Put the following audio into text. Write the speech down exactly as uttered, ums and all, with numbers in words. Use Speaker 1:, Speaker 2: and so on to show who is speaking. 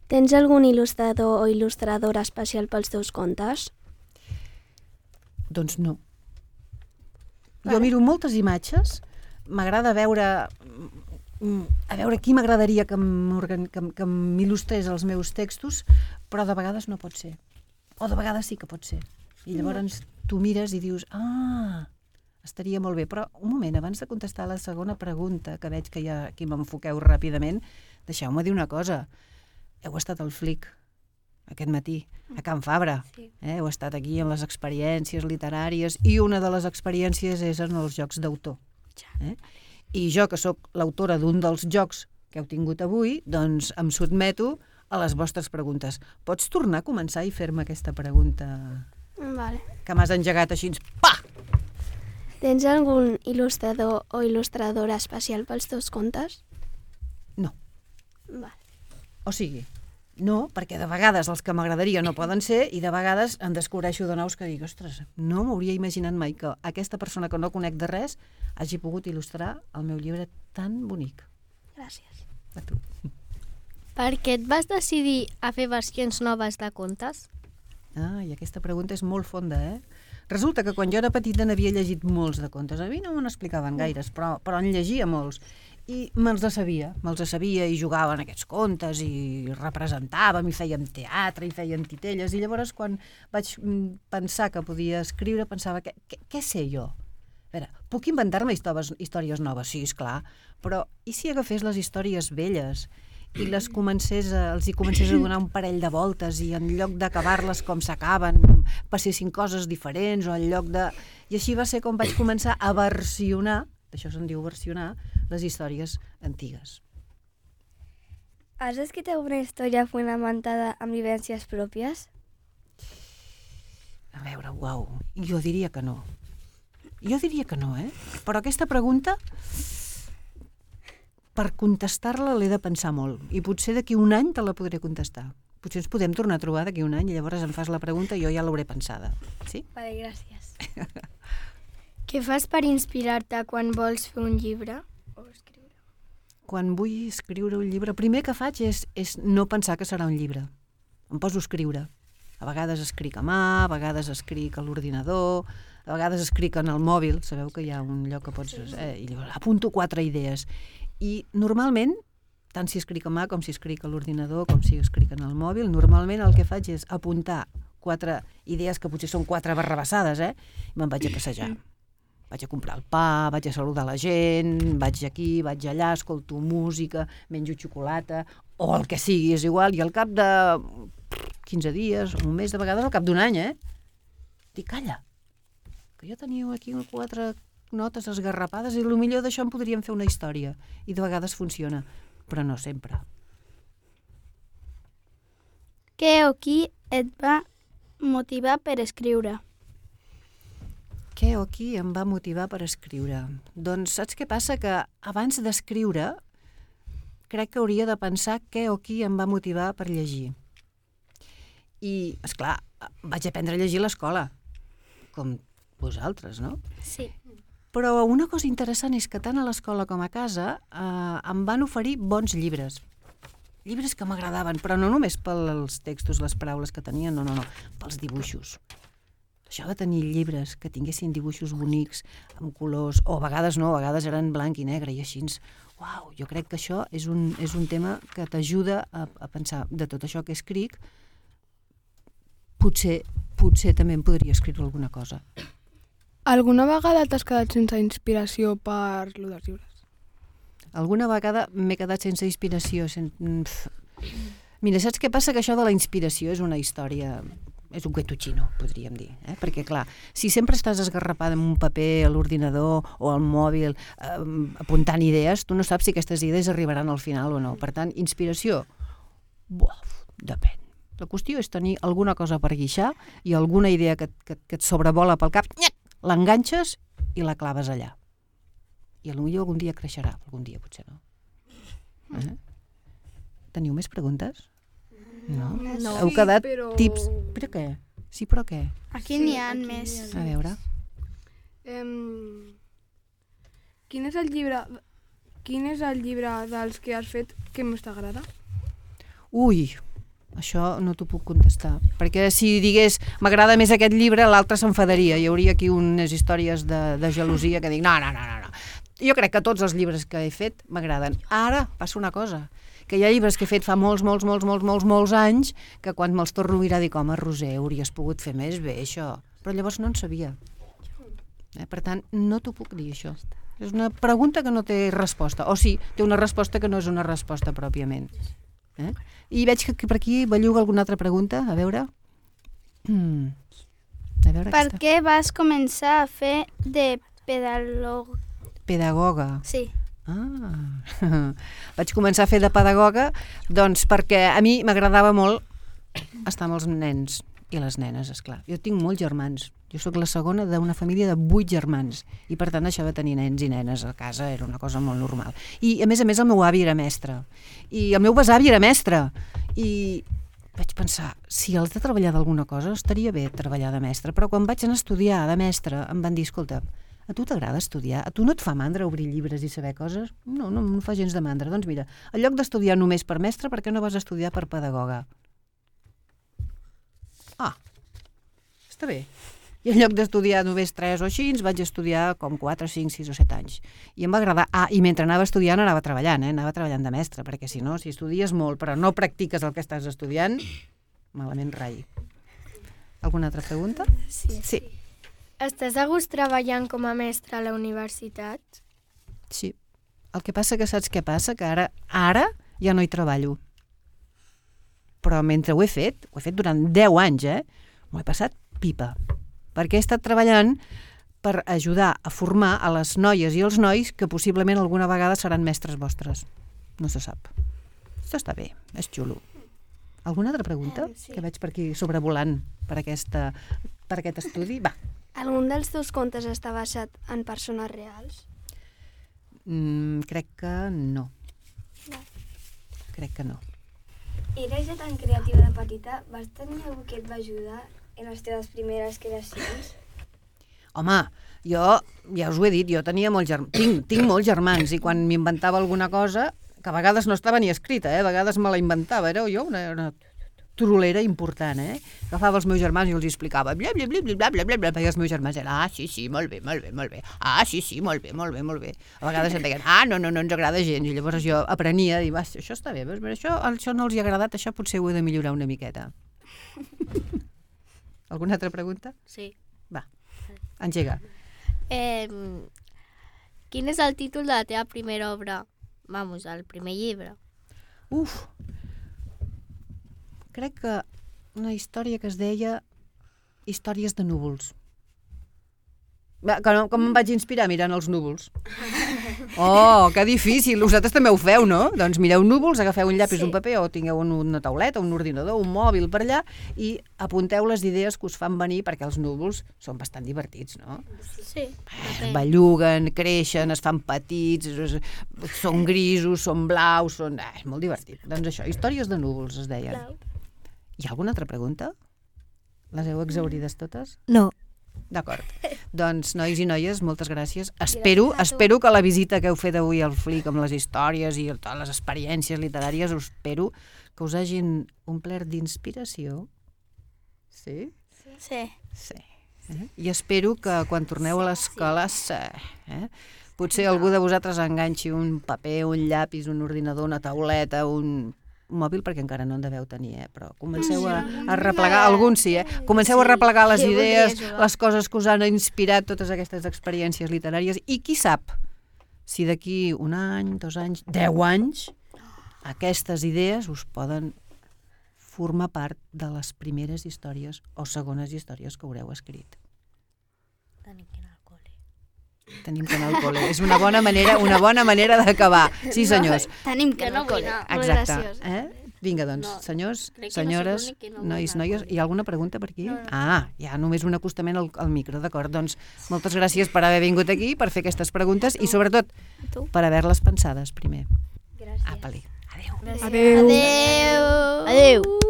Speaker 1: Tens algun il·lustrador o il·lustradora especial pels teus contes?
Speaker 2: Doncs no.
Speaker 1: Vale.
Speaker 2: Jo miro moltes imatges, m'agrada veure a veure qui m'agradaria que m'il·lustrés els meus textos, però de vegades no pot ser. O de vegades sí que pot ser. I llavors tu mires i dius, ah, estaria molt bé. Però un moment, abans de contestar la segona pregunta, que veig que ja aquí m'enfoqueu ràpidament, deixeu-me dir una cosa. Heu estat al Flic aquest matí, a Can Fabra.
Speaker 1: Sí.
Speaker 2: Eh? Heu estat aquí en les experiències literàries i una de les experiències és en els jocs d'autor. Eh? I jo, que sóc l'autora d'un dels jocs que heu tingut avui, doncs em sotmeto a les vostres preguntes. Pots tornar a començar i fer-me aquesta pregunta
Speaker 1: Vale.
Speaker 2: que m'has engegat així? Pa!
Speaker 1: Tens algun il·lustrador o il·lustradora especial pels teus contes?
Speaker 2: No.
Speaker 1: Vale.
Speaker 2: O sigui, no, perquè de vegades els que m'agradaria no poden ser i de vegades en descobreixo de nous que dic, ostres, no m'hauria imaginat mai que aquesta persona que no conec de res hagi pogut il·lustrar el meu llibre tan bonic.
Speaker 1: Gràcies.
Speaker 2: A tu.
Speaker 3: Per què et vas decidir a fer versions noves de contes?
Speaker 2: Ah, i aquesta pregunta és molt fonda, eh? Resulta que quan jo era petita n'havia llegit molts de contes. A mi no me n'explicaven gaires, però, però en llegia molts. I me'ls de sabia, me'ls de sabia i jugava en aquests contes i representàvem i fèiem teatre i fèiem titelles. I llavors quan vaig pensar que podia escriure pensava, què, què, què sé jo? A veure, puc inventar-me històries, històries noves? Sí, esclar, però i si agafés les històries velles i les comencés a, els hi comencés a donar un parell de voltes i en lloc d'acabar-les com s'acaben passessin coses diferents o en lloc de... I així va ser com vaig començar a versionar, d'això se'n diu versionar, les històries antigues.
Speaker 1: Has escrit una història fonamentada en vivències pròpies?
Speaker 2: A veure, uau, jo diria que no. Jo diria que no, eh? Però aquesta pregunta, per contestar-la l'he de pensar molt. I potser d'aquí un any te la podré contestar. Potser ens podem tornar a trobar d'aquí un any i llavors em fas la pregunta i jo ja l'hauré pensada. Sí?
Speaker 1: Vale, gràcies.
Speaker 4: Què fas per inspirar-te quan vols fer un llibre? O escriure?
Speaker 2: Quan vull escriure un llibre, el primer que faig és, és no pensar que serà un llibre. Em poso a escriure. A vegades escric a mà, a vegades escric a l'ordinador, a vegades escric en el mòbil, sabeu que hi ha un lloc que pots... Eh, i llavors apunto quatre idees. I normalment, tant si escric a mà com si escric a l'ordinador, com si escric en el mòbil, normalment el que faig és apuntar quatre idees que potser són quatre barrabassades, eh? I me'n vaig a passejar. Vaig a comprar el pa, vaig a saludar la gent, vaig aquí, vaig allà, escolto música, menjo xocolata, o el que sigui, és igual, i al cap de quinze dies, un mes, de vegades al cap d'un any, eh? Dic, calla, que jo tenia aquí quatre notes esgarrapades i potser d'això en podríem fer una història. I de vegades funciona, però no sempre.
Speaker 4: Què o qui et va motivar per escriure?
Speaker 2: Què o qui em va motivar per escriure? Doncs saps què passa? Que abans d'escriure crec que hauria de pensar què o qui em va motivar per llegir. I, esclar, vaig aprendre a llegir a l'escola, com vosaltres, no?
Speaker 4: Sí.
Speaker 2: Però una cosa interessant és que tant a l'escola com a casa eh, em van oferir bons llibres. Llibres que m'agradaven, però no només pels textos, les paraules que tenien, no, no, no, pels dibuixos. Això de tenir llibres que tinguessin dibuixos bonics, amb colors, o a vegades no, a vegades eren blanc i negre, i així, uau, jo crec que això és un, és un tema que t'ajuda a, a pensar de tot això que escric, potser, potser també em podria escriure alguna cosa.
Speaker 5: Alguna vegada t'has quedat sense inspiració per lo dels llibres?
Speaker 2: Alguna vegada m'he quedat sense inspiració. Sen... Mira, saps què passa? Que això de la inspiració és una història... és un cuento-chino, podríem dir. Eh? Perquè, clar, si sempre estàs esgarrapada en un paper, a l'ordinador o al mòbil, eh, apuntant idees, tu no saps si aquestes idees arribaran al final o no. Per tant, inspiració, buah, depèn. La qüestió és tenir alguna cosa per guixar i alguna idea que, que, que et sobrevola pel cap, l'enganxes i la claves allà. I potser algun dia creixerà, algun dia potser no. Eh? Teniu més preguntes? No?
Speaker 4: No.
Speaker 2: Heu quedat
Speaker 5: Sí, però...
Speaker 2: tips... Però què? Sí, però què?
Speaker 4: Aquí
Speaker 5: Sí,
Speaker 4: n'hi ha
Speaker 5: aquí
Speaker 4: més.
Speaker 5: n'hi ha.
Speaker 2: A veure.
Speaker 5: Um, quin és el llibre... Quin és el llibre dels que has fet que més t'agrada?
Speaker 2: Ui, això no t'ho puc contestar. Perquè si digués m'agrada més aquest llibre, l'altre s'enfadaria. Hi hauria aquí unes històries de, de gelosia que dic no, no, no, no, no. Jo crec que tots els llibres que he fet m'agraden. Ara passa una cosa, que hi ha llibres que he fet fa molts, molts, molts, molts, molts, molts anys que quan me'ls torno a mirar dic, home, Roser, hauries pogut fer més bé això. Però llavors no en sabia. Eh? Per tant, no t'ho puc dir, això. És una pregunta que no té resposta. O sí, té una resposta que no és una resposta pròpiament. Eh? I veig que per aquí belluga alguna altra pregunta. A veure... Mm. A veure
Speaker 6: per
Speaker 2: aquesta.
Speaker 6: què vas començar a fer de pedagog...
Speaker 2: Pedagoga.
Speaker 6: Sí.
Speaker 2: Ah. Vaig començar a fer de pedagoga doncs perquè a mi m'agradava molt estar amb els nens i les nenes, esclar. Jo tinc molts germans. Jo sóc la segona d'una família de vuit germans i per tant això de tenir nens i nenes a casa era una cosa molt normal. I a més a més el meu avi era mestre i el meu besavi era mestre i vaig pensar, si els de treballar d'alguna cosa estaria bé treballar de mestre, però quan vaig anar a estudiar de mestre em van dir, escolta, a tu t'agrada estudiar? A tu no et fa mandra obrir llibres i saber coses? No, no em fa gens de mandra. Doncs mira, en lloc d'estudiar només per mestre, per què no vas estudiar per pedagoga? Ah, està bé. I en lloc d'estudiar només tres o així, vaig estudiar com quatre, cinc, sis o set anys. I em va agradar. Ah, i mentre anava estudiant anava treballant, eh? Anava treballant de mestre, perquè si no, si estudies molt però no practiques el que estàs estudiant, malament rai. Alguna altra pregunta?
Speaker 4: Sí.
Speaker 2: Sí.
Speaker 4: Estàs a gust treballant com a mestre a la universitat?
Speaker 2: Sí. El que passa que saps què passa? Que ara, ara ja no hi treballo. Però mentre ho he fet, ho he fet durant deu anys, eh? M'ho he passat pipa. Perquè he estat treballant per ajudar a formar a les noies i els nois que possiblement alguna vegada seran mestres vostres. No se sap. Això està bé, és xulo. Alguna altra pregunta? Sí. Que veig per aquí sobrevolant per, aquesta, per aquest estudi? Va.
Speaker 1: Algun dels teus contes està basat en persones reals?
Speaker 2: Mm, crec que no.
Speaker 1: No.
Speaker 2: Crec que no.
Speaker 7: Eres ja tan creativa de petita, vas tenir algú que et va ajudar en les teves primeres creacions?
Speaker 2: Home, jo, ja us ho he dit, jo tenia molts germans, tinc, tinc molts germans, i quan m'inventava alguna cosa, que a vegades no estava ni escrita, eh? A vegades me la inventava, era jo una, una trolera important, eh? Agafava els meus germans i els explicava, bla, bla, bla, bla, bla, bla, bla, i els meus germans eren, ah, sí, sí, molt bé, molt bé, molt bé, ah, sí, sí, molt bé, molt bé, molt bé. A vegades em deien, ah, no, no, no ens agrada gens, i llavors jo aprenia, i va, això està bé, veus? Això, això no els hi ha agradat, això potser ho he de millorar una miqueta. Alguna altra pregunta?
Speaker 3: Sí.
Speaker 2: Va, engega.
Speaker 3: Eh, quin és el títol de la teva primera obra? Vamos, el primer llibre.
Speaker 2: Uf! Crec que una història que es deia Històries de núvols. Va, com, com em vaig inspirar mirant els núvols? Oh, que difícil! Vosaltres també ho feu, no? Doncs mireu núvols, agafeu un llapis, sí. Un paper, o tingueu una tauleta, un ordinador, un mòbil per allà, i apunteu les idees que us fan venir, perquè els núvols són bastant divertits, no?
Speaker 3: Sí.
Speaker 2: Eh, belluguen, creixen, es fan petits, es, són grisos, són blaus, són... Eh, és molt divertit. Doncs això, Històries de núvols, es deien. Hi ha alguna altra pregunta? Les heu exaurides totes?
Speaker 3: No.
Speaker 2: D'acord. Doncs, nois i noies, moltes gràcies. Espero, espero que la visita que heu fet avui al Flic amb les històries i totes les experiències literàries, us espero que us hagin omplert d'inspiració. Sí?
Speaker 6: Sí.
Speaker 2: Sí. Eh? I espero que quan torneu a l'escola, eh, potser algú de vosaltres enganxi un paper, un llapis, un ordinador, una tauleta, un... un mòbil, perquè encara no en deveu tenir, eh? Però comenceu a, a replegar, alguns sí, eh? Comenceu a replegar les idees, les coses que us han inspirat totes aquestes experiències literàries, i qui sap si d'aquí un any, dos anys, deu anys, aquestes idees us poden formar part de les primeres històries o segones històries que haureu escrit.
Speaker 3: Tenim que anar al col·le.
Speaker 2: Tenim que anar al col·le. És una bona manera, una bona manera d'acabar. Sí, senyors.
Speaker 6: Tenim que anar al col·le.
Speaker 2: Exacte. Eh? Vinga, doncs, senyors, senyores, nois, noies, hi ha alguna pregunta per aquí? Ah, hi ha només un acostament al, al micro, d'acord. Doncs moltes gràcies per haver vingut aquí, per fer aquestes preguntes i sobretot per haver-les pensades primer.
Speaker 7: Gràcies.
Speaker 2: Apa-li. Adéu.
Speaker 5: Adéu.
Speaker 6: Adéu. Adéu.